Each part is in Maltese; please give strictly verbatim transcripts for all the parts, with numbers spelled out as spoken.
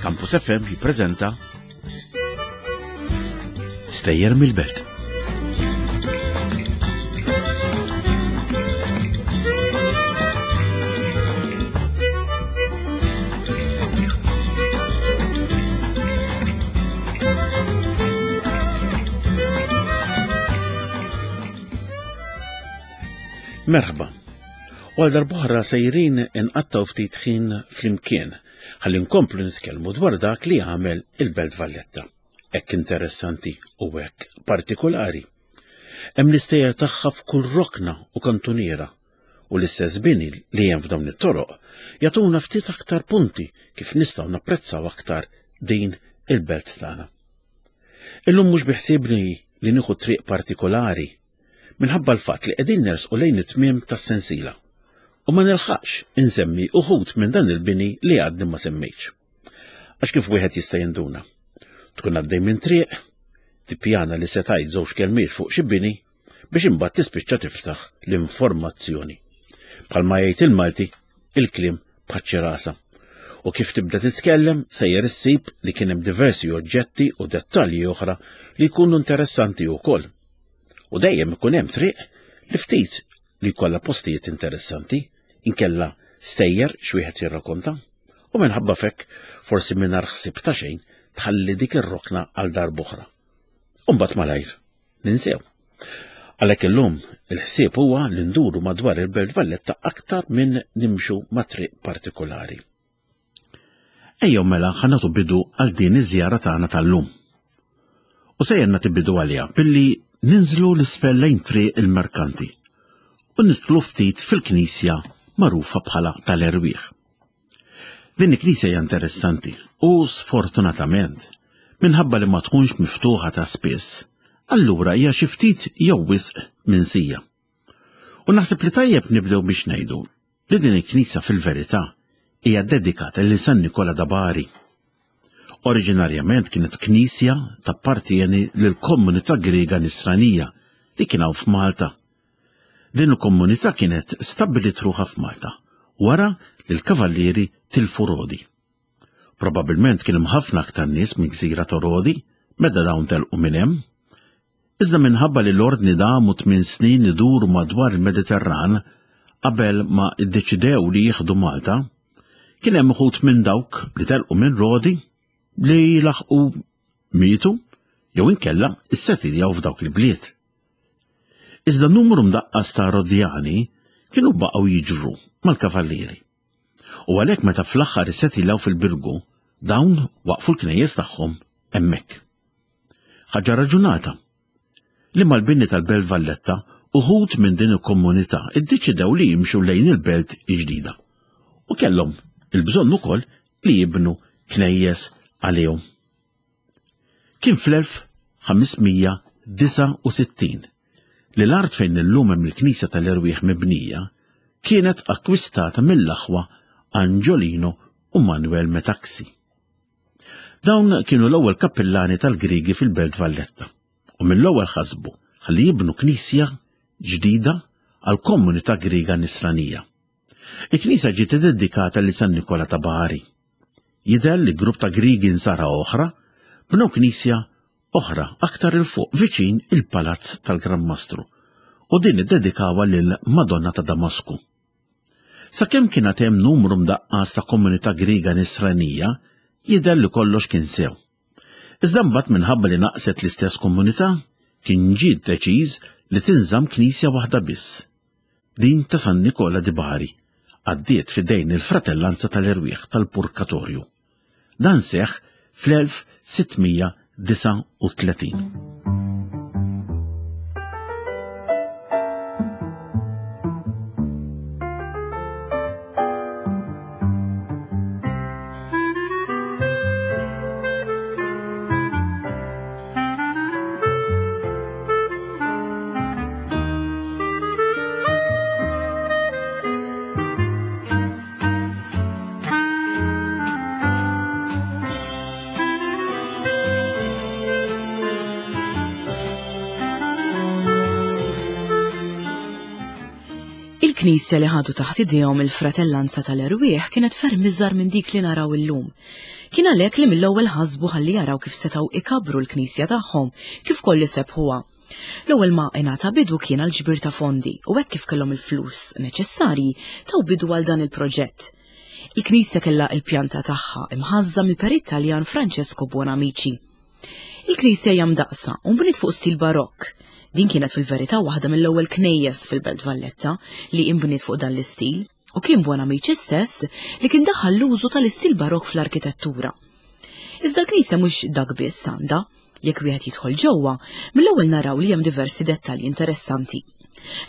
Campus F M jippreżenta Stejjer mill-Belt. Merħba. U għal darb'oħra sejrin inqattaw ftit ħin flimkien ħalli nkomplu nitkellmu dwar dak li għamel il-Belt Valletta. Hekk interessanti u hekk partikolari. Hemm l-istejjer tagħha f'kull rokna u kantuniera u l-istess bini li hemm f'dawn it-toroq jagħtuna ftit aktar punti kif nistgħu napprezzaw aktar din il-belt tagħna. Illum mhux biħsiebni li nieħu triq partikolari minħabba l-fatt li qegħdin nersqu lejn it-tmiem tas-sensiela u ma nilħaqx insemmi uħud minn dan il-bini li għadni ma semmejtx. Għax kif wieħed jista' jinduna? Tkun għaddej minn triq, tippjana li se tgħid żewġ kelmiet fuq xi bini biex imbagħad tispiċċa tiftaħ l-informazzjoni. Bħalma jgħid il-Malti, il-kliem bħaċ-ċirasa. U kif tibda titkellem sejjer issib li kien hemm diversi oġġetti u dettalji oħra li jkunu interessanti wkoll. U dejjem ikun hemm triq li ftit li jkollha postijiet interessanti, inkella stejjer x'wieħed jirrakonta, u minħabba fekk forsi mingħajr ħsieb ta' xejn tħalli dik ir-rokna għal darb'oħra. U mbagħad malajr ninsew. Għalhekk illum il-ħsieb huwa li nduru madwar il-Belt Valletta aktar minn nimxu ma' triq partikolari. Ejjew mela ħa nagħtu bidu għal din iż-żjara tagħna tal-lum. U sejjer nagħti bidu għaliha billi ninżlu l-isfel lejn triq il-Merkanti u nidħlu ftit fil-knisja magħrufa bħala tal-Erwieħ. Din il-knisja hija interessanti u sfortunatament minħabba li ma tkunx miftuħa ta' spiss, allura hija xi ftit jew wisq minsija. U naħseb li tajjeb nibdew biex ngħidu li din il-knisja fil-verità hija dedikata lil San Nikola da Bari. Oriġinarjament kienet knisja tappartieni lill-komunità Griega Nisranija li kien hawn f'Malta. Din il-komunità kienet stabbilit ruħha f'Malta wara li l-kavallieri tilfu Rodi. Probabilment kien hemm ħafna aktar nies minn gżira ta' Rodi meta dawn telqu minn hemm. Iżda minħabba li l-ordni damu tmien snin iduru madwar il-Mediterran qabel ma ddeċidew li jieħdu Malta, kien hemm uħud minn dawk li telqu minn Rodi li laħqu mietu jew inkella issetiljaw f'dawk il-bliet. Iżda numru mdaqqas ta' Rodjani kienu baqgħu jiġru mal-kavallieri. U għalhekk meta fl-aħħar issetiljaw fil-Birgu, dawn waqfu l-knejjes tagħhom hemmhekk. Ħaġa raġunata li mal-bini tal-Belt Valletta uħud minn din il-komunità iddeċidew li jimxu lejn il-belt il-ġdida u kellhom il-bżonn ukoll li jibnu knejjes għalihom. Kien fl-elf ħamesmija disa' u sittin li l-art fejn illum hemm il-Knisja tal-Erwieħ mibnija kienet akkwistata mill-aħwa Angiolino u Manuel Metaxi. Dawn kienu l-ewwel kappillani tal-Griegi fil-Belt Valletta u mill-ewwel ħasbu ħalli jibnu knisja ġdida għal komunità Griega Nisranija. Il-knisja ġiet iddedikata lil San Nikola ta' Bari. Jidher li grupp ta' Griegi nsara oħra bnew knisja oħra aktar il fuq viċin il-Palazz tal-Gran Mastru u din iddedikawha lil Madonna ta' Damasku. Sakemm kien għad hemm numru mdaqqas ta' komunità Griega Nisranija, jidher li kollox kien sew. Iżda mbagħad minħabba li naqset l-istess komunità, kien ġie deċiż li tinżamm knisja waħda biss. Din ta' San Nikola di Bari għaddiet f'idejn il-Fratellanza tal-Erwieħ tal-Purkatorju. Dan seħħ fl-elf sittmija disa' u tletin. Il-knisja li ħadu taħt idejhom il-fratellanza tal-erwieħ kienet ferm iżgħar minn dik li naraw illum. Kien għalhekk li mill-ewwel ħasbu ħalli jaraw kif setgħu ikabru l-knisja tagħhom kif kolli sebħuha. L-ewwel ma ingħata bidu kien għal ġbir ta' fondi u hekk kif kellhom il-flus neċessarji taw bidu għal dan il-proġett. Il-knisja kellha il-pjanta tagħha imħażża mill-perit Taljan Francesco Buonamici. Il-knisja hija mdaqsa u nbniet fuq stil barokk. Din kienet fil-verità waħda mill-ewwel knejjes fil-Belt Valletta li inbniet fuq dan l-istil u kien Buonamici stess li kien daħal l-użu tal-istil barokk fl-arkitettura. Iżda l-knisja mhux dak biss għandha, jekk wieħed jidħol ġewwa, mill-ewwel naraw li hemm diversi dettalji interessanti.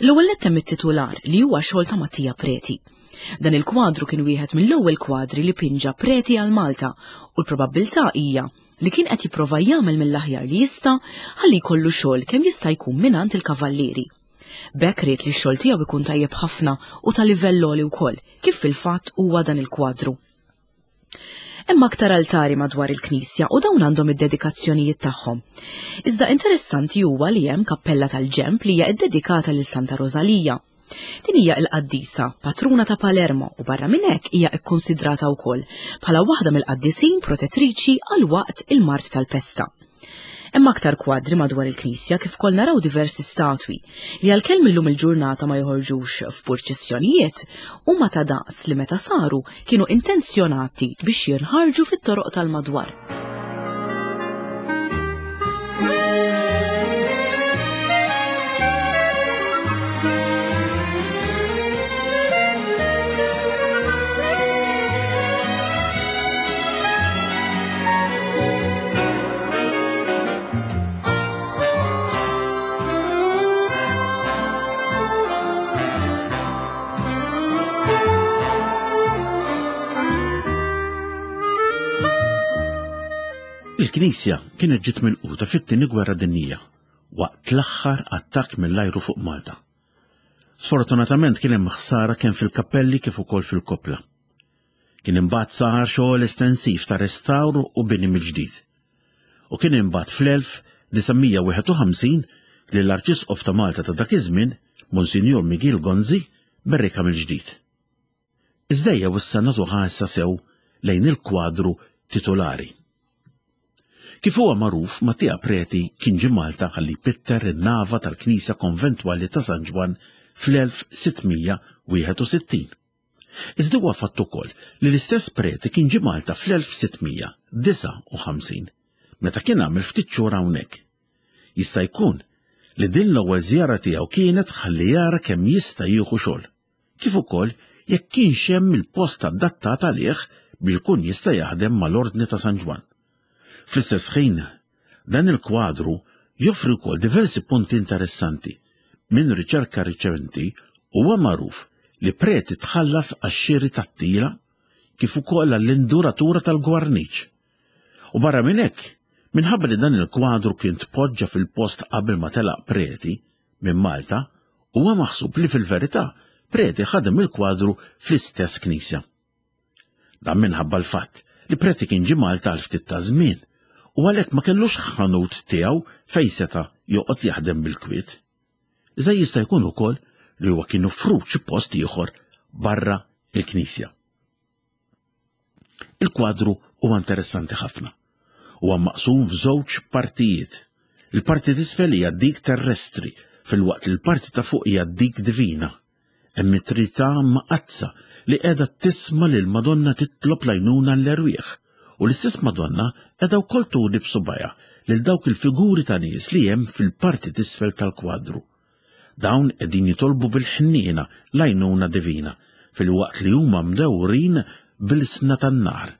L-ewwel nett hemm it-titular li huwa xogħol ta' Mattia Preti. Dan il-kwadru kien wieħed mill-ewwel kwadri li pinġa Preti għal Malta u l-probabbiltà hija li kien qed jipprova jagħmel mill-aħjar li jista' ħalli jkollu xogħol kemm jista' jkun mingħand il-kavallieri. B'hekk ried li x-xogħol tiegħu ikun tajjeb ħafna u ta' livell għoli wkoll, kif fil-fatt huwa dan il-kwadru. Hemm aktar altari madwar il-knisja u dawn għandhom id-dedikazzjonijiet tagħhom. Iżda interessanti huwa li hemm kappella tal-ġemp li hija ddedikata lil Santa Rosalija. Din hija l-qaddisa, patruna ta' Palermo u barra minn hekk hija kkonsidrata wkoll bħala waħda mill-qaddisin protettriċi għal waqt il-mard tal-pesta. Hemm aktar kwadri madwar il-knisja kif ukoll naraw diversi statwi li għalkemm illum il-ġurnata ma joħorġux f'purċissjonijiet huma ta' daqs li meta saru kienu intenzjonati biex jinħarġu fit-toroq tal-madwar. Il-knisja kienet ġiet milquta fit-tieni gwerra dinjija waqt l-aħħar attakk mill-ajru fuq Malta. Sfortunatament kien hemm ħsara kemm fil-kappelli kif ukoll fil-koppla. Kien imbagħad sar xogħol estensiv ta' restawr u bini mill-ġdid. U kien imbagħad fl-elf disa' mija wieħed u ħamsin li l-Arċisqof ta' Malta ta' dak iż-żmien, Monsinjur Miguel Gonzi, berrika mill-ġdid. Iżda ejja issa nagħtu ħarsa sew lejn il-kwadru titolari. Kif huwa magħruf, Mattia Preti kien ġie Malta ħalli jpitter in-nava tal-Knisja Konventwali ta' San Ġwann fl-elf sitt mija wieħed u sittin. Iżda huwa fatt ukoll li l-istess Preti kien ġie Malta fl-elf sitt mija disgħa u ħamsin, meta kien għamel ftit xhur hawnhekk. Jista' jkun li din l-ewwel żjara tiegħu kienet ħalli jara kemm jista' jieħu xogħol, kif ukoll jekk kienx hemm il-post adattat għalih biex ikun jista' jaħdem mal-Ordni ta' San Ġwann. Fl-istess ħin, dan il-kwadru joffri wkoll diversi punti interessanti. Minn riċerka riċenti huwa magħruf li Preti tħallas għax-xiri tat-tila kif ukoll għall-induratura tal-gwarniċ. U barra minn hekk, minħabba li dan il-kwadru kien tpoġġa fil-post qabel ma telaq Preti minn Malta, huwa maħsub li fil-verità Preti ħadem il-kwadru fl-istess knisja. Dan minħabba l-fatt li Preti kien ġie Malta għal ftit ta' żmien u għalhekk ma kellux ħanut tiegħu fejn seta' joqgħod jaħdem bil-kwiet. Iżda jista' jkun ukoll li huwa kien offrut xi post ieħor barra il-knisja. Il-kwadru huwa interessanti ħafna. Huwa maqsum f'żewġ partijiet. Il-parti t'isfel hija dik terrestri, filwaqt li l-parti ta' fuq hija dik divina. Hemm it-Trinità mqaddsa li qiegħda tisma' lil Madonna titlob l-għajnuna l-erwieħ, u l-istess Madonna qiegħda wkoll turi b'subgħajha lil dawk il-figuri ta' nies li hemm fil-parti t'isfel tal-kwadru. Dawn qegħdin jitolbu bil-ħniena l-għajnuna divina, filwaqt li huma mdewrin bil-sna tan-nar.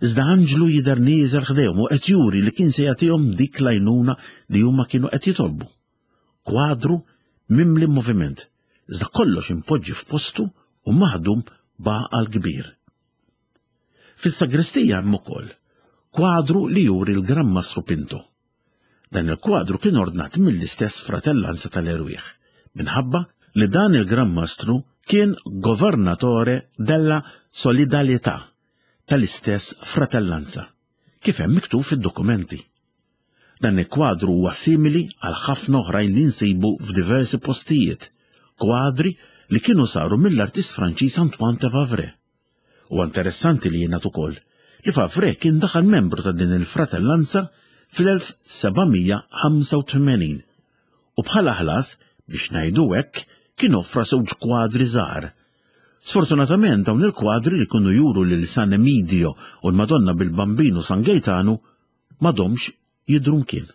Iżda anġlu jidher nieżel ħdejhom u qed juri li kien se jagħtihom dik l-għajnuna li huma kienu qed jitolbu. Kwadru mimli moviment, iżda kollox impoġġi f'postu u maħdum b'għaqal kbir. Fis-sagristija hemm ukoll kwadru li juri l-Gran Mastru Pinto. Dan il-kwadru kien ordnat mill-istess fratellanza tal-erwieħ, minħabba li dan il-Gran Mastru kien governatore della Solidarietà tal-istess fratellanza, kif hemm miktub fid-dokumenti. Dan il-kwadru huwa simili għal ħafna oħrajn li nsibu f'diversi postijiet, kwadri li kienu saru mill-artist Franċiż Antoine de Favre. U interessanti li jingħad ukoll li Favre kien daħal membru ta' din il-fratellanza fl-elf sebgħamija ħamsa u tmenin u bħala ħlas, biex ngħidu hekk, kien offra żewġ kwadri żgħar. Sfortunatament dawn il-kwadri li kienu juru lil San Emidio u l-Madonna bil-Bambinu San Gaetanu m'għadhomx jidhru mkien.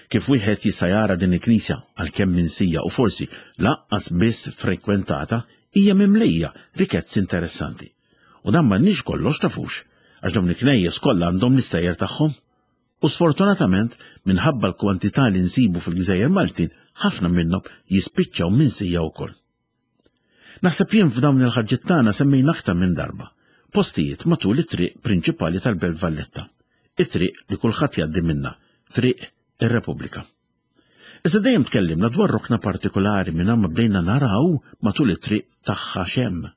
Kif wieħed jista' jara din il-knisja għalkemm minsija u forsi lanqas biss frekwentata, hija mimlija rikezzi interessanti. U dan m'għandniex kollox tafux, għax dawn il-knejjes kollha għandhom l-istejjer tagħhom. U sfortunatament, minħabba l-kwantità li nsibu fil-Gżejjer Maltin, ħafna minnhom jispiċċaw minsija wkoll. Naħseb jien f'dawn il-ħarġiet tagħna semmejna aktar minn darba postijiet matul it-triq prinċipali tal-Belt Valletta, it-triq li kulħadd jgħaddi minnha, Triq ir-Repubblika. Iżda dejjem tkellimna dwar rokna partikolari minn ma bdejna naraw matul it-triq tagħha xemm.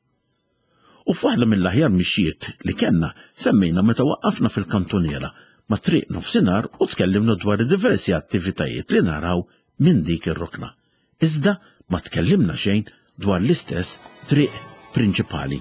U f'waħda mill-aħjar mixjiet li kellna semmejna meta waqqafna fil-kantuniera ma' triq nofsinhar u tkellimna dwar diversi attivitajiet li naraw minn dik ir-rokna. Iżda ma tkellimna xejn dwar l-istess triq prinċipali.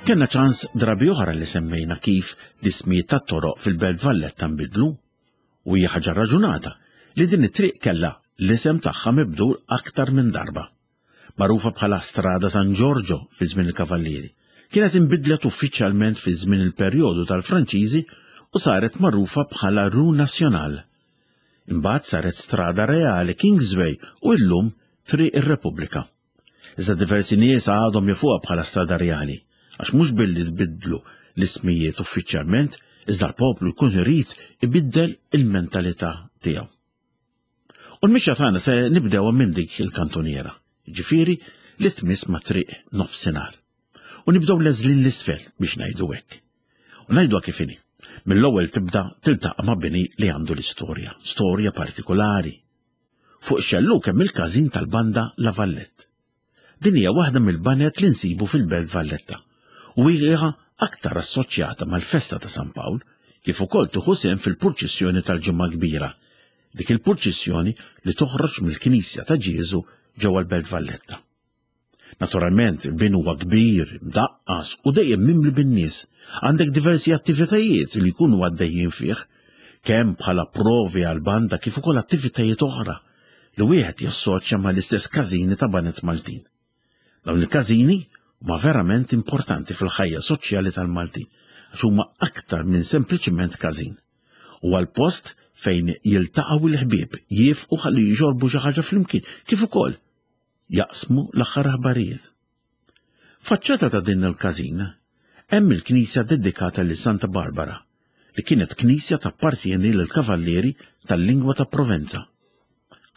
Kenna ċans drabi oħra li semmejna kif l-ismijiet tat-toroq fil-Belt Valletta nbidlu, u hija ħaġa raġunata li din it-triq kellha l-isem tagħha mibdul aktar minn darba. Magħrufa bħala Strada San Giorgio fi żmien il-Kavallieri, kienet inbidlet uffiċjalment fi żmien il-perjodu tal-Franċiżi u saret magħrufa bħala Rue Nationale. Imbagħad saret Strada Reale Kingsway u llum Triq ir-Repubblika. Iżda diversi nies għadhom jafuha bħala Strada Reali, għax mhux billi tbiddlu l-ismijiet uffiċjalment, iżda l-poplu jkun irid ibiddel il-mentalità tiegħu. U l-mixja tagħna se nibdewha minn dik il-kantuniera, ġifieri li tmiss ma' triq nofsinhar. U nibdew leżlin l-isfel biex ngħidu hekk. U ngħiduha kif inhi. Mill-ewwel tibda tiltaqa' ma' bini li għandu l-istorja, storja partikolari. Fuq xelluk hemm il-każin tal-banda La Vallette. Din hija waħda mill-banet li nsibu fil-Belt Valletta u hija aktar assoċjata mal-festa ta' San Pawl, kif ukoll tieħu sehem fil-purċissjoni tal-Ġimgħa Kbira, dik il-purċissjoni li toħroġ mill-Knisja ta' Ġieżu ġewwa l-Belt Valletta. Naturalment, il-bin huwa kbir, mdaqqas u dejjem mimli bin-nies. Għandek diversi attivitajiet li jkunu għaddejjin fih, kemm bħala provi għal-banda kif ukoll attivitajiet oħra li wieħed jassoċja mal-istess każini ta' banet Maltin. Dawn il-każini huma verament importanti fil-ħajja soċjali tal-Maltin, għax huma aktar minn sempliċiment każin. Huwa l-post fejn jiltaqgħu l-ħbieb, jifqu ħalli jġorbu xi ħaġa flimkien, kif ukoll jaqsmu l-aħħar aħbarijiet. Faċċata ta' din il-każin hemm il-knisja dedikata lil Santa Barbara, li kienet knisja tappartieni lill-kavallieri tal-lingwa ta' Provenza.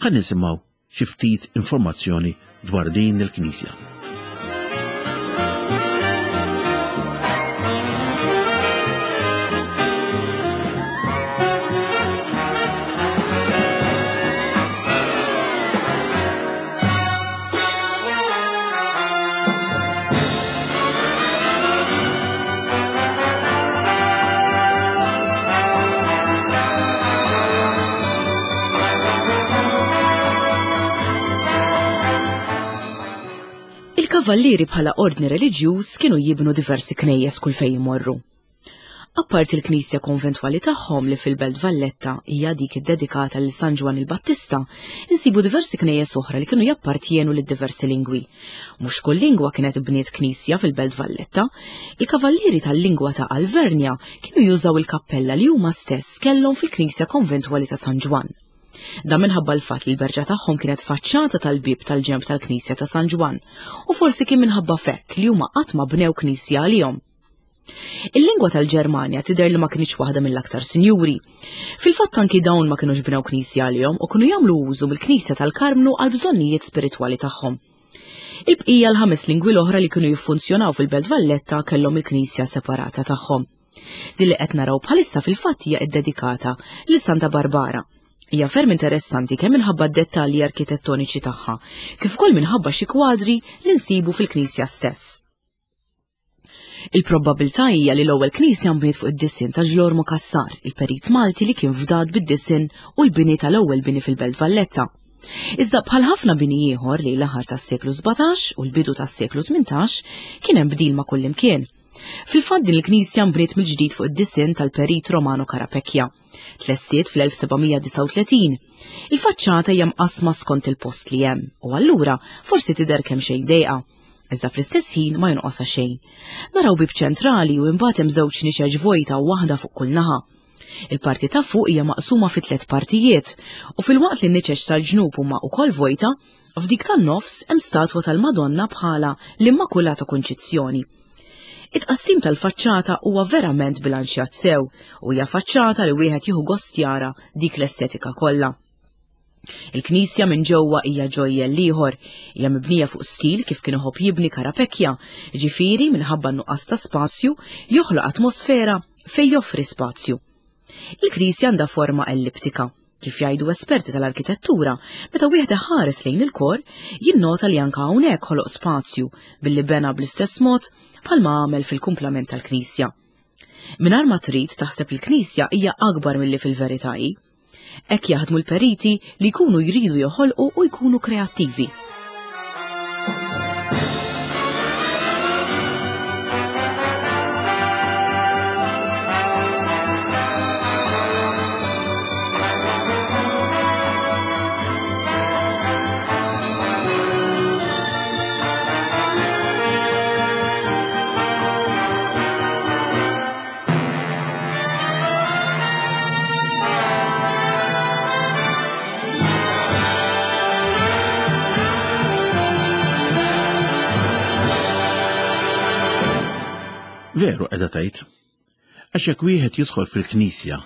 Ħa nisimgħu xi ftit informazzjoni dwar din il-knisja. Il-kavallieri bħala ordni reliġjuż kienu jibnu diversi knejjes kull fejn imorru. Apparti l-knisja konventwali tagħhom li fil-Belt Valletta hija dik iddedikata lil San Ġwann il-Battista, insibu diversi knejjes oħra li kienu jappartjenu lil diversi lingwi. Mhux kull lingwa kienet bniet knisja fil-Belt Valletta, il-kavallieri tal-lingwa ta' Alvernja kienu jużaw il-kappella li huma stess kellhom fil-knisja konventwali ta' San Ġwann. Dan minħabba l-fatt li l-berġa tagħhom kienet faċċata tal-bieb tal-ġenb tal-Knisja ta' San Ġwann u forsi kien minħabba fekk li huma qatt ma bnew knisja għalihom. Il-lingwa tal-Ġermanja tidher li ma kinitx waħda mill-aktar sinjuri. Fil-fatt anki dawn ma kinux bnew knisja għalihom u kienu jagħmlu użu mill-Knisja tal-Karmnu għal bżonnijiet spiritwali tagħhom. Il-bqija l-ħames lingwi l-oħra li kienu jiffunzjonaw fil-Belt Valletta kellhom il-knisja separata tagħhom. Din li qed naraw bħalissa fil-fatt hija ddedikata lil Santa Barbara. Hija ferm interessanti kemm minħabba d-dettalji arkitettoniċi tagħha, kif ukoll minħabba xi kwadri li nsibu fil-knisja stess. Il-probabilità hija li l-ewwel knisja nbniet fuq id-disinn ta' Ġlormu Cassar, il-perit Malti li kien fdat bid-disinn u l-bini tal-ewwel bini fil-Belt Valletta. Iżda bħal ħafna bini ieħor li l-aħħar tas-seklu sbatax u l-bidu tas-seklu tmintax kien hemm bdil ma' kullimkien. Fil-fatt din il-knisja nbniet mill-ġdid fuq id-disinn tal-perit Romano Carapecchia. Tlessiet fl-elf sebgħamija disgħa u tletin. Il-faċċata hija mqasma skont il-post li hemm u allura forsi tidher kemm xejn dejqa. Iżda fl-istess ħin ma jonqosha xejn. Naraw bib ċentrali u imbagħad hemm żewġ niċeġ vojta u waħda fuq kull naħa. Il-parti ta' fuq hija maqsuma fi tliet partijiet u fil-waqt li n-niċeġ tal-ġnub huma wkoll vojta, f'dik tan-nofs hemm statwa tal-Madonna bħala l-Immakulata Kunċizzjoni. It-tqassim tal-faċċata huwa verament bilanċjat sew u hija faċċata li wieħed jieħu gost jara dik l-estetika kollha. Il-knisja minn ġewwa hija ġojjel ieħor, hija mibnija fuq stil kif kien iħobb jibni Carapecchia, ġifieri minħabba n-nuqqas ta' spazju joħloq atmosfera fejn joffri spazju. Il-knisja għandha forma elliptika, kif jgħidu esperti tal-arkitettura, meta wieħed iħares lejn il-kor, jinnota li anke hawnhekk ħoloq spazju billi bena bl-istess mod bħalma għamel fil-kumplament tal-knisja. Mingħajr ma trid taħseb il-knisja hija akbar milli fil-verità hi. Hekk jaħdmu l-periti li jkunu jridu joħolqu u jkunu kreattivi. Veru qiegħda tgħid. Għax jekk wieħed jidħol fil-knisja,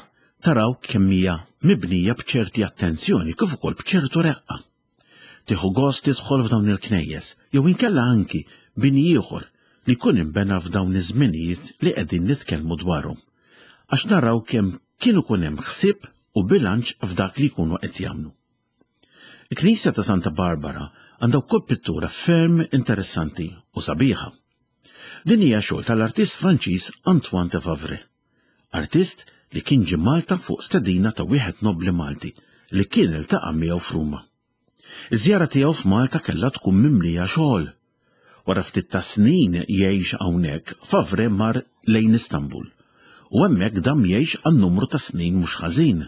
taraw kemm hija mibnija b'ċerti attenzjoni kif ukoll b'ċertu reqqa. Tieħu gost tidħol f'dawn il-knejjes, jew inkella anki bini ieħor li jkun inbena f'dawn iż-żminijiet li qegħdin nitkellmu dwarhom. Għax naraw kemm kien ikun hemm ħsieb u bilanċ f'dak li jkunu qed jagħmlu. Il-Knisja ta' Santa Barbara għandha wkoll pittura ferm interessanti u sabiħa. Din hija xogħol tal-artist Franċiż Antoine de Favre, artist li kien ġie Malta fuq stedina ta' wieħed nobli Malti li kien iltaqa' miegħu f'Ruma. Iż-żjara tiegħu f'Malta kellha tkun mimlija xogħol. Wara ftit ta' snin jgħix hawnhekk, Favre mar lejn Istanbul u hemmhekk dam jgħix għal numru ta' snin mhux ħażin.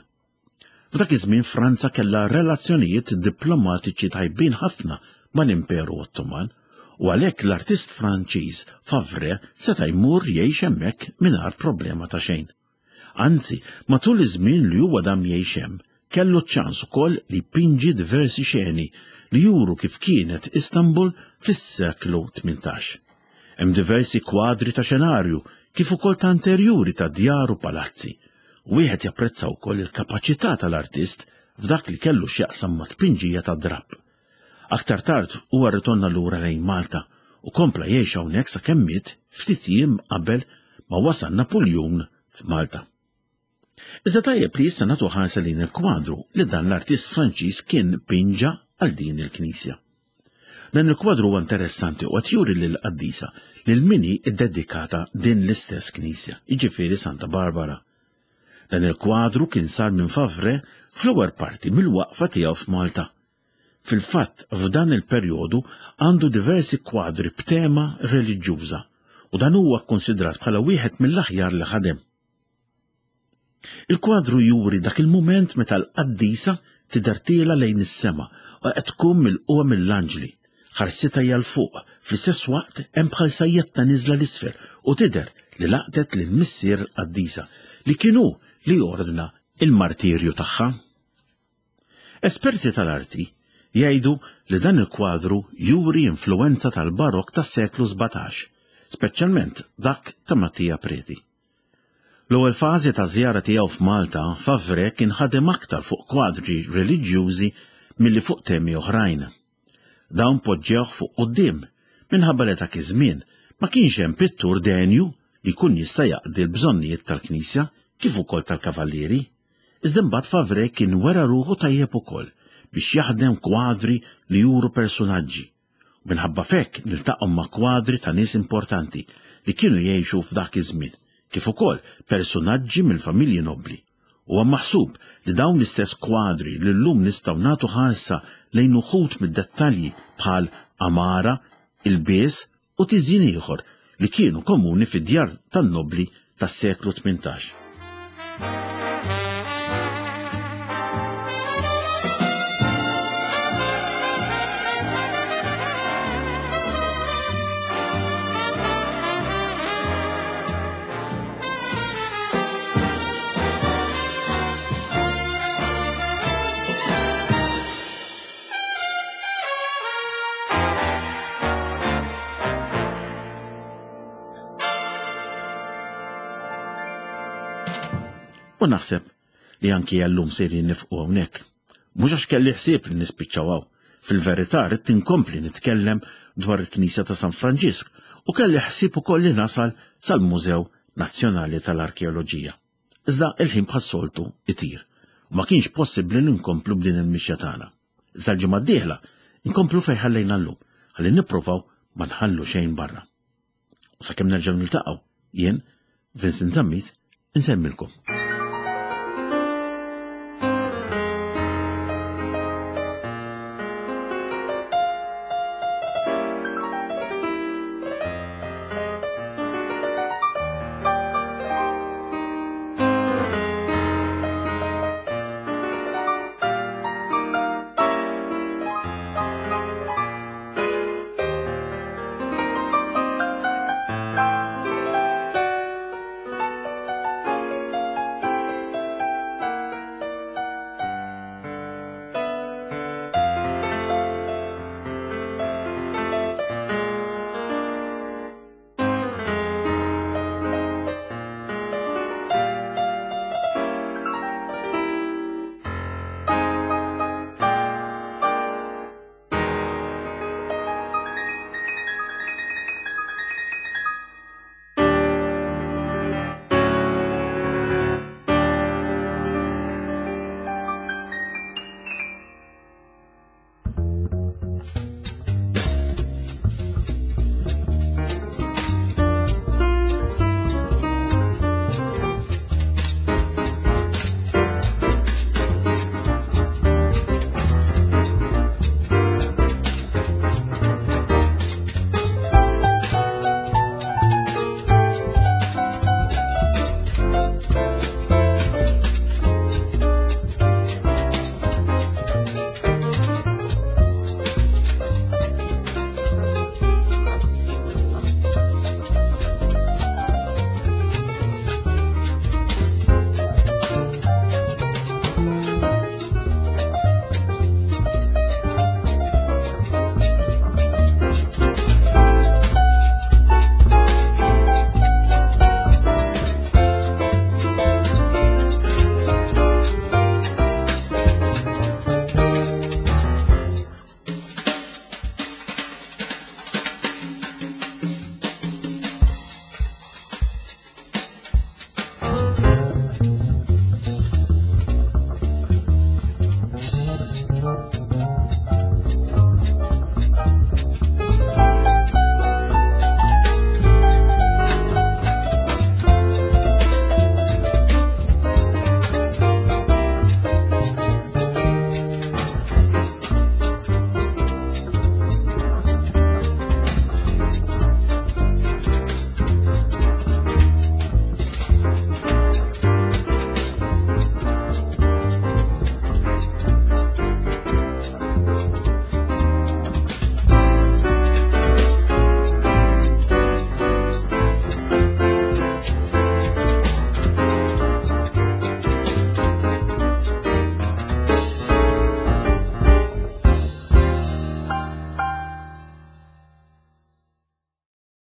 F'dak iż-żmien Franza kellha relazzjonijiet diplomatiċi tajbin ħafna mal-Imperu Ottoman u għalhekk l-artist Franċiż Favre seta' jmur jgħix hemmhekk mingħajr problema ta' xejn. Anzi, matul iż-żmien li huwa dam jgħix hemm, kellu ċ-ċans ukoll li jpinġi diversi xeni li juru kif kienet Istanbul fis-seklu tmintax. Hemm diversi kwadri ta' xenarju kif ukoll ta' interjuri ta' djar u palazzi. Wieħed japprezza wkoll il-kapaċità tal-artist f'dak li kellu x'jaqsam ma' tpinġija ta' drapp. Aktar tard huwa rritorna lura lejn Malta u kompla jgħix hawnhekk sakemm miet ftit jiem qabel ma wasal Napuljun f'Malta. Iżda tajjeb li issa nagħtu ħarsa lejn il-kwadru li dan l-artist Franċiż kien pinġa għal din il-knisja. Dan il-kwadru huwa interessanti u qed juri lill-qaddisa lil min hi ddedikata din l-istess knisja, jiġifieri Santa Barbara. Dan il-kwadru kien sar minn Favre fl-ewwel parti mill-waqfa tiegħu f'Malta. Fil-fatt, f'dan il-perjodu għandu diversi kwadri b'tema reliġjuża u dan huwa kkonsidrat bħala wieħed mill-aħjar li ħadem. Il-kwadru juri dak il-mument meta l-qaddisa tidher tiela lejn is-sema u qed tkun milquha mill-anġli. Ħarsitha hija 'l fuq, fl-istess waqt hemm bħal sajjetta niżla l-isfel u tidher li laqtet lil missier l-qaddisa li kien hu li ordna il-martirju tagħha. Esperti tal-arti jgħidu li dan il-kwadru juri influenza tal-barok tas-seklu sbatax, speċjalment dak ta' Mattia Preti. L-ewwel fażi ta' żjara tiegħu f'Malta, Favre kien ħadem aktar fuq kwadri reliġjużi milli fuq temi oħrajn. Dawn poġġewh fuq quddiem minħabba li dak iż-żmien ma kienx hemm pittur denju li jkun jista' jaqdi l-bżonnijiet tal-Knisja kif ukoll tal-Kavallieri. Iżda mbagħad Favre kien wera ruħu tajjeb ukoll biex jaħdem kwadri li juru personaġġi. Minħabba fekk niltaqgħu ma' kwadri ta' nies importanti li kienu jgħixu f'dak iż-żmien, kif ukoll personaġġi mill-familji nobbli. Huwa maħsub li dawn l-istess kwadri li llum nistgħu nagħtu ħarsa lejn uħud mid-dettalji bħal amara, ilbies u tiżjin ieħor li kienu komuni fid-djar tan-nobbli tas-seklu tmintax. U naħseb li anki għallum sejrin nifqu hawnhekk. Mhux għax kelli ħsieb li nispiċċaw hawn. Fil-verità rrid inkompli nitkellem dwar il-Knisja ta' San Franġisk u kelli ħsieb ukoll li nasal sal-Mużew Nazzjonali tal-Arkeoloġija. Iżda il-ħin bħas-soltu itir u ma kienx possibbli li nkomplu b'din il-mixja tagħna. Iżda l-ġimgħa d-dieħla nkomplu fejn ħallejna llum ħalli nippruvaw ma nħallu xejn barra. U sakemm nerġgħu niltaqgħu, jien Vincent Zammit insemmilkom.